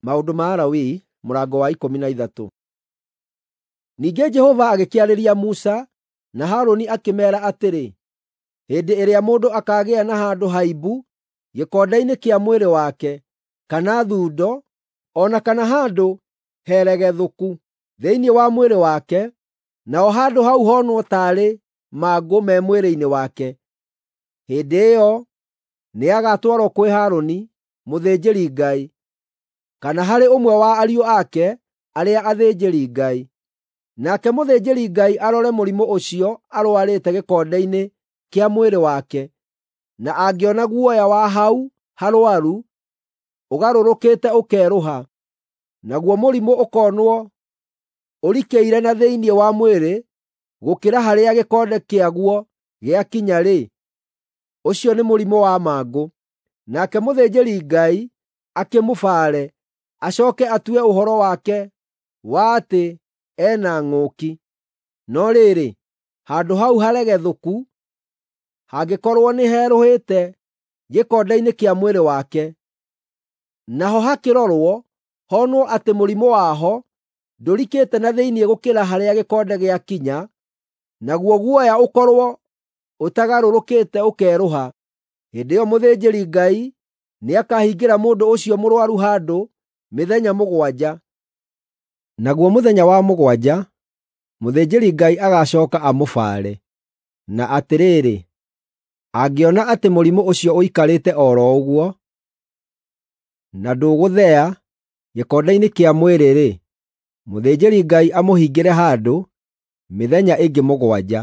Maũndũ ma Alawii mũrango wa 13. Ningĩ Jehova agĩkĩarĩria Musa na Harũni akĩmeera atĩrĩ, hĩndĩ ĩrĩa mũndũ akaagĩa na handũ haimbu gĩkonde-inĩ kĩa mwĩrĩ wake, kana thundo, o na kana handũ heregethũku thĩinĩ wa mwĩrĩ wake, naho handũ hau honwo taarĩ mangũ me mwĩrĩ-inĩ wake, hĩndĩ ĩyo nĩagatwarwo kwĩ Harũni, mũthĩnjĩri-Ngai, kana harĩ ũmwe wa ariũ ake arĩa athĩnjĩri-Ngai. Nake mũthĩnjĩri-Ngai arore mũrimũ ũcio arũarĩte gĩkonde-inĩ kĩa mwĩrĩ wake, na angĩona guoya wa hau harũaru ũgarũrũkĩte ũkerũha, naguo mũrimũ ũkonwo ũrikĩire na thĩinĩ wa mwĩrĩ gũkĩra harĩa gĩkonde kĩaguo gĩakinya-rĩ, ũcio nĩ mũrimũ wa mangũ. Nake mũthĩnjĩri-Ngai akĩmũbaare, acooke atue ũhoro wake wa atĩ ena ng'ũki. No rĩrĩ, handũ hau haregethũku hangĩkorwo nĩherũhĩte gĩkonde-inĩ kĩa mwĩrĩ wake, naho hakĩrorwo honwo atĩ mũrimũ waho ndũrikĩte na thĩinĩ gũkĩra harĩa gĩkonde gĩakinya, naguo guoya ũkorwo ũtagarũrũkĩte ũkerũha, hĩndĩ ĩyo mũthĩnjĩri-Ngai nĩakahingĩra mũndũ ũcio mũrũaru handũ mĩthenya mũgwanja. Naguo mũthenya wa mũgwanja mũthĩnjĩri-Ngai agacooka amũbaare, na atĩrĩrĩ, angĩona atĩ mũrimũ ũcio ũikarĩte o ro ũguo, na ndũgũthea gĩkonde-inĩ kĩa mwĩrĩ-rĩ, mũthĩnjĩri-Ngai amũhingĩre handũ mĩthenya ĩngĩ mũgwanja.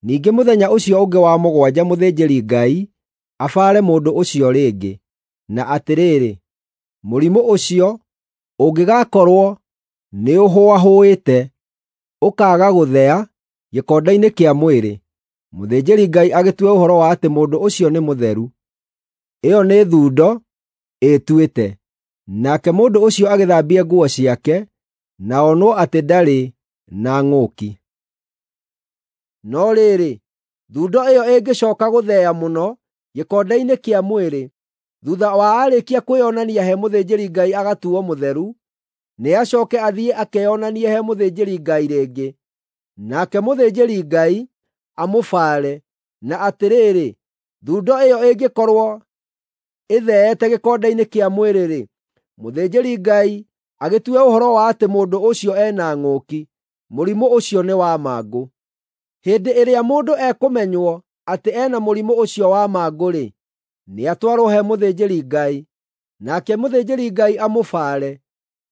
Ningĩ mũthenya ũcio ũngĩ wa mũgwanja mũthĩnjĩri-Ngai abaare mũndũ ũcio rĩngĩ, na atĩrĩrĩ, mũrimũ ũcio ũngĩgakorwo nĩũhũahũĩte, ũkaaga gũthea gĩkonde-inĩ kĩa mwĩrĩ, mũthĩnjĩri-Ngai agĩtue ũhoro wa atĩ mũndũ ũcio nĩ mũtheru. Ĩyo nĩ thundo ĩtuĩte. Nake mũndũ ũcio agĩthambie nguo ciake na onwo atĩ ndarĩ na ng'ũki. No rĩrĩ, thundo ĩyo ĩngĩcooka gũthea mũno gĩkonde-inĩ kĩa mwĩrĩ, thuutha wa aarĩkia kwĩonania he mũthĩnjĩri-Ngai agatuuo mũtheru, nĩacooke athiĩ akeyonanie he mũthĩnjĩri-Ngai rĩngĩ. Nake mũthĩnjĩri-Ngai amũbaare, na atĩrĩrĩ, thundo ĩyo ĩngĩkorwo ĩtheete gĩkonde-inĩ kĩa mwĩrĩ-rĩ, mũthĩnjĩri-Ngai agĩtue ũhoro wa atĩ mũndũ ũcio ena ng'ũki. Mũrimũ ũcio nĩ wa mangũ. Hĩndĩ ĩrĩa mũndũ ekũmenywo atĩ ena mũrimũ ũcio wa mangũ-rĩ, nĩatwarwo he mũthĩnjĩri-Ngai, nake mũthĩnjĩri-Ngai amũbaare.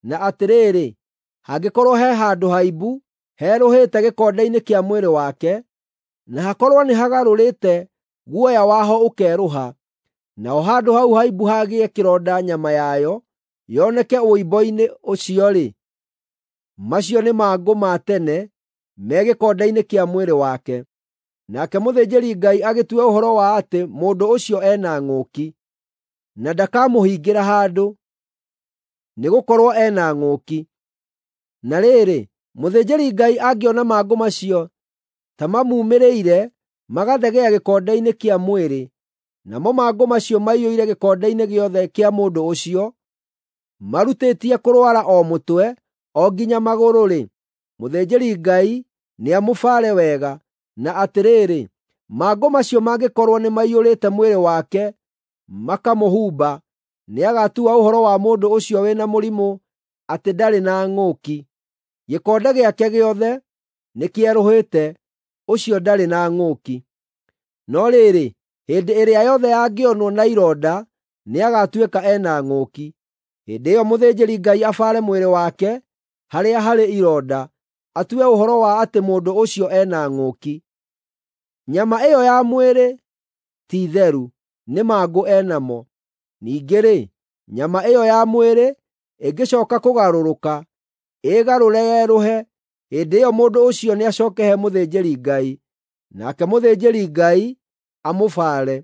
Na atĩrĩrĩ, hangĩkorwo he handũ haimbu herũhĩte gĩkonde-inĩ kĩa mwĩrĩ wake, na hakorwo nĩhagarũrĩte guoya waho ũkerũha, naho handũ hau haimbu hagĩe kĩronda nyama yayo yoneke ũimbo-inĩ ũcio-rĩ, macio nĩ mangũ ma tene me gĩkonde-inĩ kĩa mwĩrĩ wake. Nake mũthĩnjĩri-Ngai agĩtue ũhoro wa atĩ mũndũ ũcio ena ng'ũki, na ndakamũhingĩra handũ, nĩgũkorwo ena ng'ũki. Na rĩrĩ, mũthĩnjĩri-Ngai angĩona mangũ macio ta mamuumĩrĩire magathegea gĩkonde-inĩ kĩa mwĩrĩ, namo mangũ macio maiyũire gĩkonde-inĩ gĩothe kĩa mũndũ ũcio, marutĩtie kũrwara o mũtwe o nginya magũrũ-rĩ, mũthĩnjĩri-Ngai nĩamũbaare wega, na atĩrĩrĩ, mangũ macio mangĩkorwo nĩmaiyũrĩte mwĩrĩ wake makamũhumba, nĩagatua ũhoro wa mũndũ ũcio wĩna mũrimũ atĩ ndarĩ na ng'ũki. Gĩkonde gĩake gĩothe nĩkĩerũhĩte, ũcio ndarĩ na ng'ũki. No rĩrĩ, hĩndĩ ĩrĩa yothe angĩonwo na ironda nĩagatuĩka ena ng'ũki. Hĩndĩ ĩyo mũthĩnjĩri-Ngai abaare mwĩrĩ wake harĩa harĩ ironda, atue ũhoro wa atĩ mũndũ ũcio ena ng'ũki. Nyama ĩyo ya mwĩrĩ ti theru, nĩ mangũ enamo. Ningĩ-rĩ, nyama ĩyo ya mwĩrĩ ĩngĩcooka kũgarũrũka, ĩĩgarũre yerũhe, hĩndĩ ĩyo mũndũ ũcio nĩacooke he mũthĩnjĩri-Ngai, nake mũthĩnjĩri-Ngai amũbaare.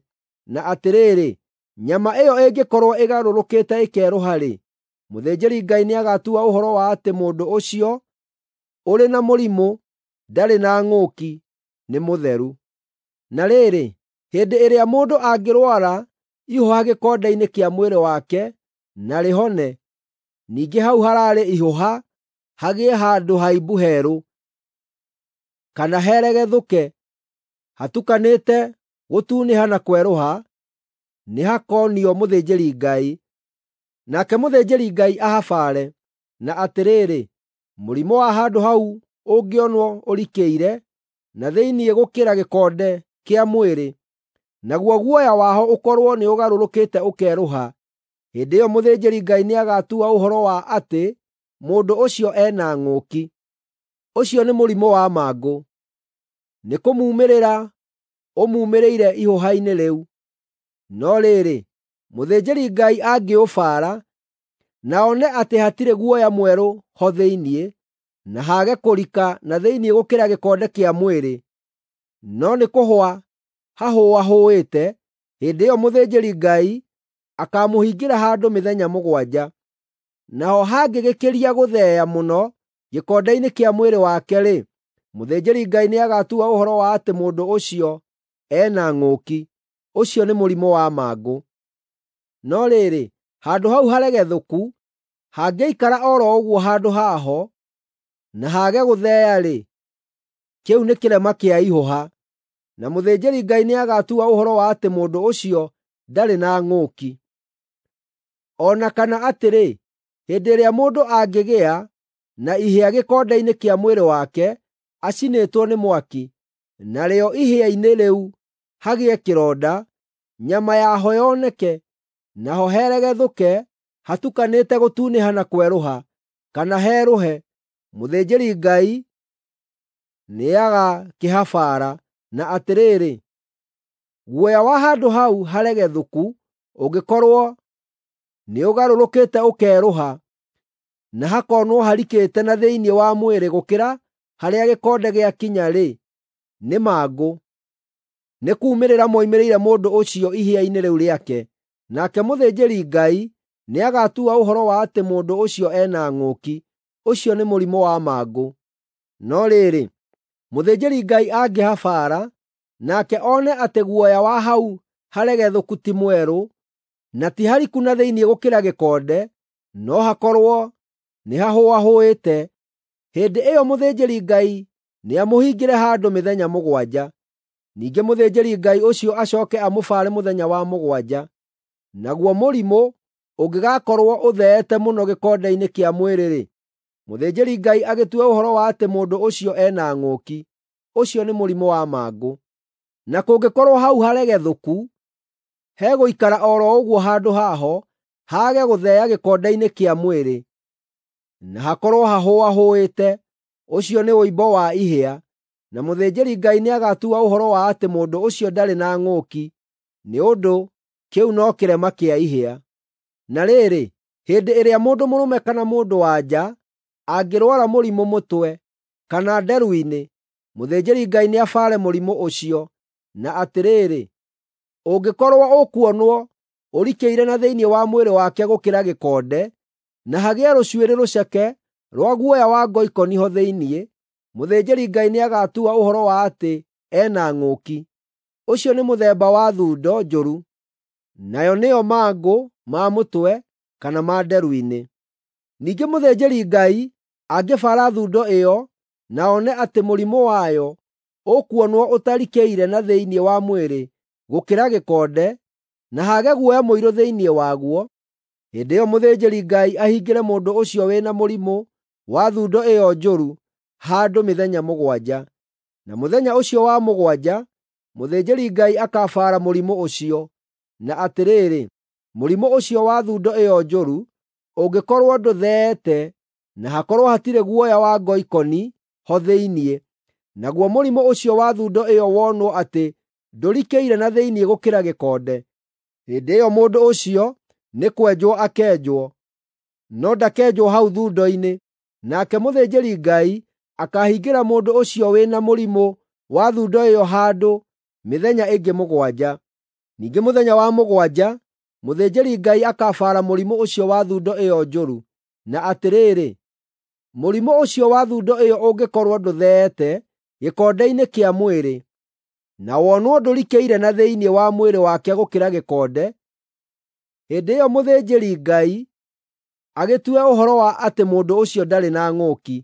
Na atĩrĩrĩ, nyama ĩyo ĩngĩkorwo ĩgarũrũkĩte ĩkerũha-rĩ, mũthĩnjĩri-Ngai nĩagatua ũhoro wa atĩ mũndũ ũcio ũrĩ na mũrimũ ndarĩ na ng'ũki, nĩ mũtheru. Na rĩrĩ, hĩndĩ ĩrĩa mũndũ angĩrwara ihũha gĩkonde-inĩ kĩa mwĩrĩ wake na rĩhone, ningĩ hau hararĩ ihũha hagĩe handũ haimbu herũ, kana heregethũke, hatukanĩte gũtunĩha na kwerũha, nĩhakonio mũthĩnjĩri-Ngai. Nake mũthĩnjĩri-Ngai ahabaare, na atĩrĩrĩ, mũrimũ wa handũ hau ũngĩonwo ũrikĩire na thĩinĩ gũkĩra gĩkonde kĩa mwĩrĩ, naguo guoya waho ũkorwo nĩũgarũrũkĩte ũkerũha, hĩndĩ ĩyo mũthĩnjĩri-Ngai nĩagatua ũhoro wa atĩ mũndũ ũcio ena ng'ũki. Ũcio nĩ mũrimũ wa mangũ. Nĩkũmuumĩrĩra ũmuumĩrĩire ihũha-inĩ rĩu. No rĩrĩ, mũthĩnjĩri-Ngai angĩũbaara, na one atĩ hatirĩ guoya mwerũ ho thĩinĩ, na haage kũrika na thĩinĩ gũkĩra gĩkonde kĩa mwĩrĩ, no nĩ kũhũa hahũahũĩte, hĩndĩ ĩyo mũthĩnjĩri-Ngai akaamũhingĩra handũ mĩthenya mũgwanja. Naho hangĩgĩkĩria gũtheea mũno gĩkonde-inĩ kĩa mwĩrĩ wake-rĩ, mũthĩnjĩri-Ngai nĩagatua ũhoro wa atĩ mũndũ ũcio ena ng'ũki. Ũcio nĩ mũrimũ wa mangũ. No rĩrĩ, handũ hau haregethũku hangĩikara o ro ũguo handũ haho, na haage gũtheea-rĩ, kĩu nĩ kĩrema kĩa ihũha, na mũthĩnjĩri-Ngai nĩagatua ũhoro wa atĩ mũndũ ũcio ndarĩ na ng'ũki. O na kana atĩrĩ, hĩndĩ ĩrĩa mũndũ angĩgĩa na ihĩa gĩkonde-inĩ kĩa mwĩrĩ wake acinĩtwo nĩ mwaki, narĩo ihĩa-inĩ rĩu hagĩe kĩronda, nyama yaho yoneke, naho heregethũke hatukanĩte gũtunĩha na kwerũha, kana herũhe, mũthĩnjĩri-Ngai nĩagakĩhabaara, na atĩrĩrĩ, guoya wa handũ hau haregethũku ũngĩkorwo nĩũgarũrũkĩte ũkerũha, na hakonwo harikĩte na thĩinĩ wa mwĩrĩ gũkĩra harĩa gĩkonde gĩakinya-rĩ, nĩ mangũ. Nĩ kuumĩrĩra moimĩrĩire mũndũ ũcio ihĩa-inĩ rĩu rĩake, nake mũthĩnjĩri-Ngai nĩagatua ũhoro wa atĩ mũndũ ũcio ena ng'ũki. Ũcio nĩ mũrimũ wa mangũ. No rĩrĩ, mũthĩnjĩri-Ngai angĩhabaara, nake one atĩ guoya wa hau haregethũku ti mwerũ, na ti hariku na thĩinĩ gũkĩra gĩkonde, no hakorwo nĩhahũahũĩte, hĩndĩ ĩyo mũthĩnjĩri-Ngai nĩamũhingĩre handũ mĩthenya mũgwanja. Ningĩ mũthĩnjĩri-Ngai ũcio acooke amũbaare mũthenya wa mũgwanja. Naguo mũrimũ ũngĩgakorwo ũtheete mũno gĩkonde-inĩ kĩa mwĩrĩ-rĩ, mũthĩnjĩri-Ngai agĩtue ũhoro wa atĩ mũndũ ũcio ena ng'ũki. Ũcio nĩ mũrimũ wa mangũ. Na kũngĩkorwo hau haregethũku hegũikara o ro ũguo handũ haho, haage gũtheea gĩkonde-inĩ kĩa mwĩrĩ, na hakorwo hahũahũĩte, ũcio nĩ ũimbo wa ihĩa, na mũthĩnjĩri-Ngai nĩagatua ũhoro wa atĩ mũndũ ũcio ndarĩ na ng'ũki, nĩ ũndũ kĩu no kĩrema kĩa ihĩa. Na rĩrĩ, hĩndĩ ĩrĩa mũndũ mũrũme kana mũndũ-wa-nja angĩrwara mũrimũ mũtwe kana nderu-inĩ, mũthĩnjĩri-Ngai nĩabaare mũrimũ ũcio, na atĩrĩrĩ, ũngĩkorwo ũkuonwo ũrikĩire na thĩinĩ wa mwĩrĩ wake gũkĩra gĩkonde, na hagĩe rũcuĩrĩ rũceke rwa guoya wa ngoikoni ho thĩinĩ, mũthĩnjĩri-Ngai nĩagatua ũhoro wa atĩ ena ng'ũki. Ũcio nĩ mũthemba wa thundo njũru, nayo nĩyo mangũ ma mũtwe kana ma nderu-inĩ. Ningĩ mũthĩnjĩri-Ngai angĩbaara thundo ĩyo na one atĩ mũrimũ wayo ũkuonwo ũtarikĩire na thĩinĩ wa mwĩrĩ gũkĩra gĩkonde, na haage guoya mũirũ thĩinĩ waguo, hĩndĩ ĩyo mũthĩnjĩri-Ngai ahingĩre mũndũ ũcio wĩna mũrimũ wa thundo ĩyo njũru handũ mĩthenya mũgwanja. Na mũthenya ũcio wa mũgwanja mũthĩnjĩri-Ngai akabaara mũrimũ ũcio, na atĩrĩrĩ, mũrimũ ũcio wa thundo ĩyo njũru ũngĩkorwo ndũtheete na hakorwo hatirĩ guoya wa ngoikoni ho thĩinĩ, naguo mũrimũ ũcio wa thundo ĩyo wonwo atĩ ndũrikĩire na thĩinĩ gũkĩra gĩkonde, hĩndĩ ĩyo mũndũ ũcio nĩ kwenjwo akenjwo, no ndakenjwo hau thundo-inĩ. Nake mũthĩnjĩri-Ngai akaahingĩra mũndũ ũcio wĩna mũrimũ wa thundo ĩyo handũ mĩthenya ĩngĩ mũgwanja. Ningĩ mũthenya wa mũgwanja mũthĩnjĩri-Ngai akabaara mũrimũ ũcio wa thundo ĩyo njũru, na atĩrĩrĩ, mũrimũ ũcio wa thundo ĩyo ũngĩkorwo ndũtheete gĩkonde-inĩ kĩa mwĩrĩ, na wonwo ndũrikĩire na thĩinĩ wa mwĩrĩ wake gũkĩra gĩkonde, hĩndĩ ĩyo mũthĩnjĩri-Ngai agĩtue ũhoro wa atĩ mũndũ ũcio ndarĩ na ng'ũki,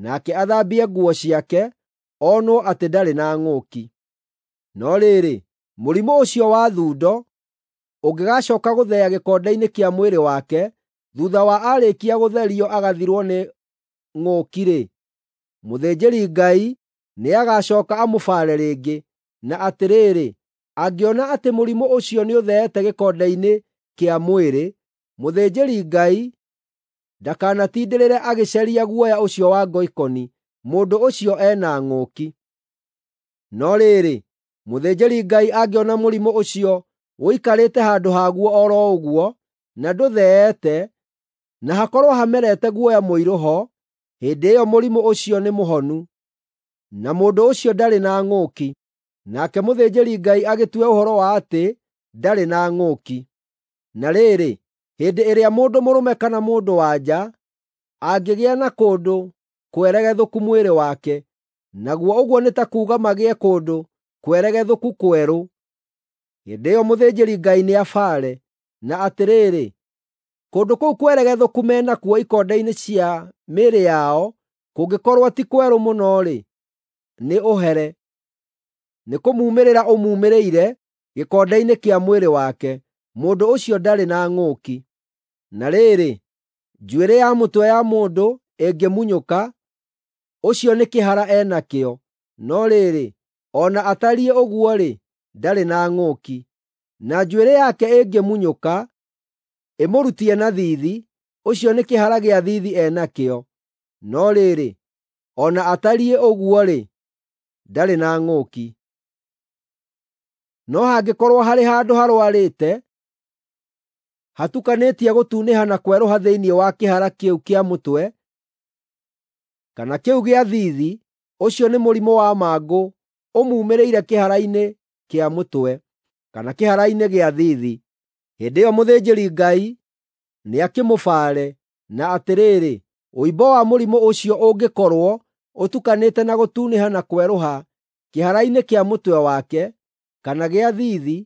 nake athambie nguo ciake, onwo atĩ ndarĩ na ng'ũki. No rĩrĩ, mũrimũ ũcio wa thundo ũngĩgaacooka gũtheea gĩkonde-inĩ kĩa mwĩrĩ wake thuutha wa aarĩkia gũtherio agathirwo nĩ ng'ũki-rĩ, mũthĩnjĩri-Ngai nĩagacooka amũbaare rĩngĩ, na atĩrĩrĩ, angĩona atĩ mũrimũ ũcio nĩũtheete gĩkonde-inĩ kĩa mwĩrĩ, mũthĩnjĩri-Ngai ndakanatindĩrĩre agĩcaria guoya ũcio wa ngoikoni, mũndũ ũcio ena ng'ũki. No rĩrĩ, mũthĩnjĩri-Ngai angĩona mũrimũ ũcio ũikarĩte handũ haguo o ro ũguo, na ndũtheete, na hakorwo hamerete guoya mũirũ ho, hĩndĩ ĩyo mũrimũ ũcio nĩ mũhonu, na mũndũ ũcio ndarĩ na ng'ũki. Nake mũthĩnjĩri-Ngai agĩtue ũhoro wa atĩ ndarĩ na ng'ũki. Na rĩrĩ, hĩndĩ ĩrĩa mũndũ mũrũme kana mũndũ-wa-nja angĩgĩa na kũndũ kweregethũku mwĩrĩ wake, naguo ũguo nĩ ta kuuga magĩe kũndũ kweregethũku kwerũ, hĩndĩ ĩyo mũthĩnjĩri-Ngai nĩabaare, na atĩrĩrĩ, kũndũ kũu kweregethũku me nakuo ikonde-inĩ cia mĩĩrĩ yao kũngĩkorwo ti kwerũ mũno-rĩ, nĩ ũhere. Nĩkũmuumĩrĩra ũmuumĩrĩire gĩkonde-inĩ kĩa mwĩrĩ wake. Mũndũ ũcio ndarĩ na ng'ũki. Na rĩrĩ, njuĩrĩ ya mũtwe ya mũndũ ĩngĩmunyũka, ũcio nĩ kĩhara e nakĩo, no rĩrĩ, o na atariĩ ũguo-rĩ, ndarĩ na ng'ũki. Na njuĩrĩ yake ĩngĩmunyũka, ĩmũrutie na thiithi, ũcio nĩ kĩhara gĩa thiithi e nakĩo, no rĩrĩ, o na atariĩ ũguo-rĩ, ndarĩ na ng'ũki. No hangĩkorwo harĩ handũ harũarĩte, hatukanĩtie gũtunĩha na kwerũha thĩinĩ wa kĩhara kĩu kĩa mũtwe, kana kĩu gĩa thiithi, ũcio nĩ mũrimũ wa mangũ ũmuumĩrĩire kĩhara-inĩ kĩa mũtwe, kana kĩhara-inĩ gĩa thiithi. Hĩndĩ ĩyo mũthĩnjĩri-Ngai nĩakĩmũbaare, na atĩrĩrĩ, ũimbo wa mũrimũ ũcio ũngĩkorwo ũtukanĩte na gũtunĩha na kwerũha kĩhara-inĩ kĩa mũtwe wake, kana gĩa thiithi,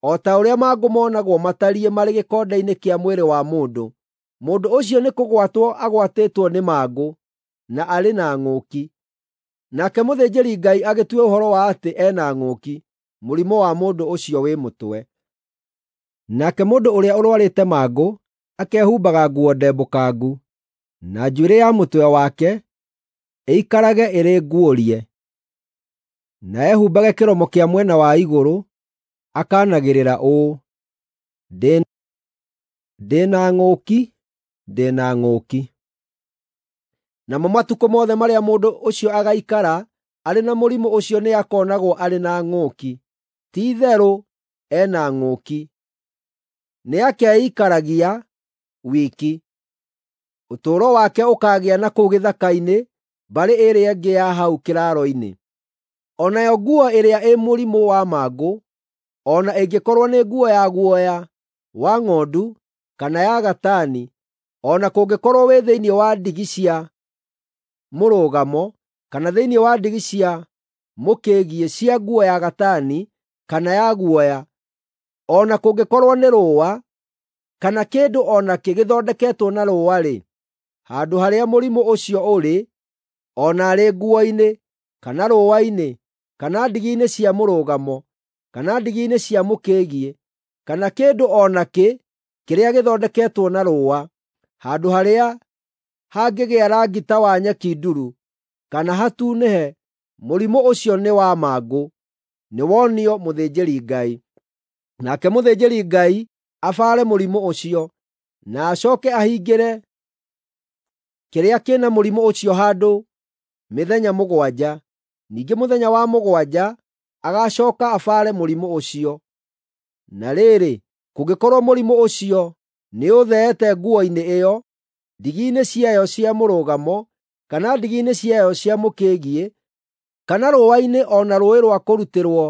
o ta ũrĩa mangũ monagwo matariĩ marĩ gĩkonde-inĩ kĩa mwĩrĩ wa mũndũ, mũndũ ũcio nĩkũgwatwo agwatĩtwo nĩ mangũ, na arĩ na ng'ũki. Nake mũthĩnjĩri-Ngai agĩtue ũhoro wa atĩ ena ng'ũki, mũrimũ wa mũndũ ũcio wĩ mũtwe. Nake mũndũ ũrĩa ũrũarĩte mangũ akehumbaga nguo ndembũkangu, na njuĩrĩ ya mũtwe wake ĩikarage ĩrĩ nguũrie, na ehumbage kĩromo kĩa mwena wa igũrũ, akanagĩrĩra ũũ, “Ndĩ na ng'ũki, ndĩ na ng'ũki!” Namo matukũ mothe marĩa mũndũ ũcio agaikara arĩ na mũrimũ ũcio nĩakonagwo arĩ na ng'ũki. Ti-itherũ ena ng'ũki. Nĩakeikaragia wiki. Ũtũũro wake ũkaagĩa na kũu gĩthaka-inĩ mbarĩ ĩrĩa ĩngĩ ya hau kĩraaro-inĩ. O nayo nguo ĩrĩa ĩ mũrimũ wa mangũ, o na ĩngĩkorwo nĩ nguo ya guoya wa ng'ondu kana ya gatani, o na kũngĩkorwo wĩ thĩinĩ wa ndigi cia mũrũgamo kana thĩinĩ wa ndigi cia mũkĩgiĩ cia nguo ya gatani kana ya guoya, o na kũngĩkorwo nĩ rũũa kana kĩndũ o nakĩ gĩthondeketwo na rũũa-rĩ, handũ harĩa mũrimũ ũcio ũrĩ, o na arĩ nguo-inĩ, kana rũũa-inĩ, kana ndigi-inĩ cia mũrũgamo, kana ndigi-inĩ cia mũkĩgiĩ, kana kĩndũ o nakĩ kĩrĩa gĩthondeketwo na rũũa, handũ harĩa hangĩgĩa rangi ta wa nyeki nduru, kana hatunĩhe, mũrimũ ũcio nĩ wa mangũ, nĩwonio mũthĩnjĩri-Ngai. Nake mũthĩnjĩri-Ngai abaare mũrimũ ũcio, na acooke ahingĩre kĩrĩa kĩna mũrimũ ũcio handũ mĩthenya mũgwanja. Ningĩ mũthenya wa mũgwanja agacooka abaare mũrimũ ũcio. Na rĩrĩ, kũngĩkorwo mũrimũ ũcio nĩũtheete nguo-inĩ ĩyo, ndigi-inĩ ciayo cia mũrũgamo, kana ndigi-inĩ ciayo cia mũkĩgiĩ, kana rũũa-inĩ o na rũũĩ rwa kũrutĩrwo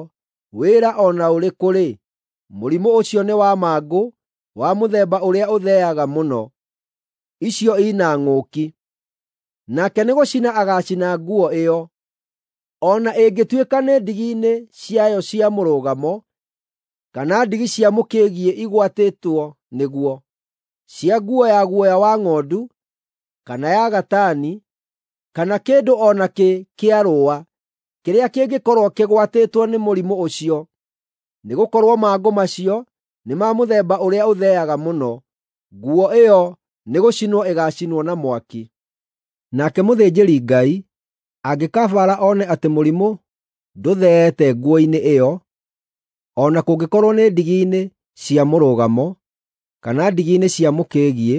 wĩra o na ũrĩkũ-rĩ, mũrimũ ũcio nĩ wa mangũ wa mũthemba ũrĩa ũtheaga mũno. Icio ina ng'ũki. Nake nĩgũcina agaacina nguo ĩyo, o na ĩngĩtuĩka nĩ ndigi-inĩ ciayo cia mũrũgamo, kana ndigi cia mũkĩgiĩ igwatĩtwo nĩguo. cia nguo ya guoya wa ng'ondu, kana ya gatani, kana kĩndũ o nakĩ kĩa rũũa kĩrĩa kĩngĩkorwo kĩgwatĩtwo nĩ mũrimũ ũcio, nĩgũkorwo mangũ macio nĩ ma mũthemba ũrĩa ũtheaga mũno. Nguo ĩyo nĩgũcinwo ĩgaacinwo na mwaki. Nake mũthĩnjĩri-Ngai angĩkabaara one atĩ mũrimũ ndũtheete nguo-inĩ ĩyo, o na kũngĩkorwo nĩ ndigi-inĩ cia mũrũgamo, kana ndigi-inĩ cia mũkĩgiĩ,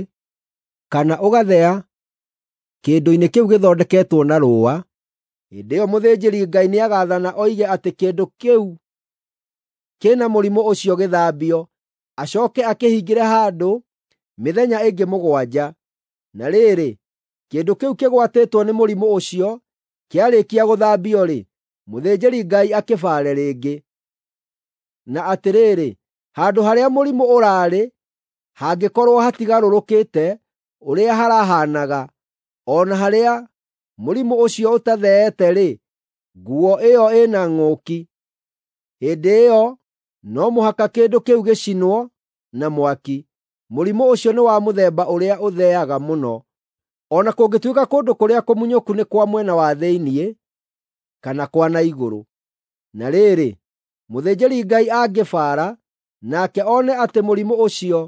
kana ũgathea kĩndũ-inĩ kĩu gĩthondeketwo na rũũa, hĩndĩ ĩyo mũthĩnjĩri-Ngai nĩagaathana oige atĩ kĩndũ kĩu kĩna mũrimũ ũcio gĩthambio, acooke akĩhingĩre handũ mĩthenya ĩngĩ 7. Na rĩrĩ, kĩndũ kĩu kĩgwatĩtwo nĩ mũrimũ ũcio kĩarĩkia gũthambio-rĩ, mũthĩnjĩri-Ngai akĩbaare rĩngĩ. Na atĩrĩrĩ, handũ harĩa mũrimũ ũraarĩ hangĩkorwo hatigarũrũkĩte ũrĩa harahaanaga, o na harĩa mũrimũ ũcio ũtatheete-rĩ, nguo ĩyo ĩna ng'ũki. Hĩndĩ ĩyo no mũhaka kĩndũ kĩu gĩcinwo na mwaki. Mũrimũ ũcio nĩ wa mũthemba ũrĩa ũtheaga mũno. O na kũngĩtuĩka kũndũ kũrĩa kũmunyũku nĩ kwa mwena wa thĩinĩ kana kwa na igũrũ. Na rĩrĩ, mũthĩnjĩri-Ngai angĩbaara, nake one atĩ mũrimũ ũcio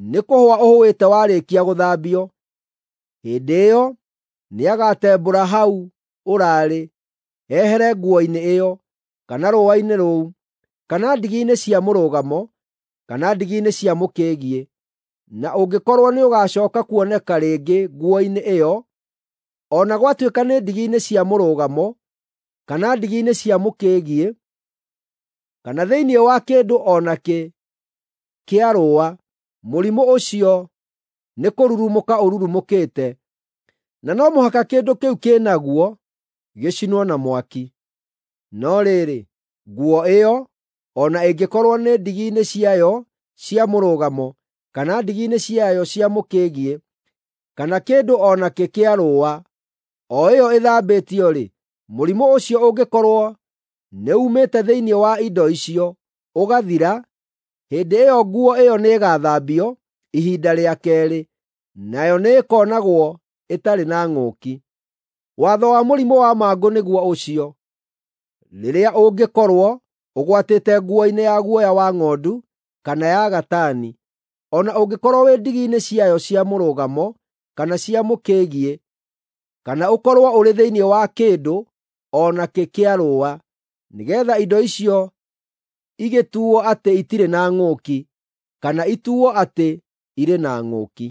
nĩ kũhũa ũhũĩte warĩkia gũthambio, hĩndĩ ĩyo nĩagatembũra hau ũraarĩ, ehere nguo-inĩ ĩyo, kana rũũa-inĩ rũu, kana ndigi-inĩ cia mũrũgamo, kana ndigi-inĩ cia mũkĩgiĩ. Na ũngĩkorwo nĩũgacooka kuoneka rĩngĩ nguo-inĩ ĩyo, o na gwatuĩka nĩ ndigi-inĩ cia mũrũgamo, kana ndigi-inĩ cia mũkĩgiĩ, kana thĩinĩ wa kĩndũ o nakĩ kĩa rũũa, mũrimũ ũcio nĩkũrurumũka ũrurumũkĩte, na no mũhaka kĩndũ kĩu kĩnaguo gĩcinwo na mwaki. No rĩrĩ, nguo ĩyo, o na ĩngĩkorwo nĩ ndigi-inĩ ciayo cia mũrũgamo, kana ndigi-inĩ ciayo cia mũkĩgiĩ, kana kĩndũ o nakĩ kĩa rũũa, o ĩyo ĩthambĩtio-rĩ, mũrimũ ũcio ũngĩkorwo nĩumĩte thĩinĩ wa indo icio, ũgathira, hĩndĩ ĩyo nguo ĩyo nĩĩgathambio ihinda rĩa keerĩ, nayo nĩĩkonagwo ĩtarĩ na ng'ũki. Watho wa mũrimũ wa mangũ nĩguo ũcio, rĩrĩa ũngĩkorwo ũgwatĩte nguo-inĩ ya guoya wa ng'ondu kana ya gatani, o na ũngĩkorwo wĩ ndigi-inĩ ciayo cia mũrũgamo kana cia mũkĩgiĩ, kana ũkorwo ũrĩ thĩinĩ wa kĩndũ o nakĩ kĩa rũũa, nĩgeetha indo icio igĩtuuo atĩ itirĩ na ng'ũki, kana ituuo atĩ irĩ na ng'ũki.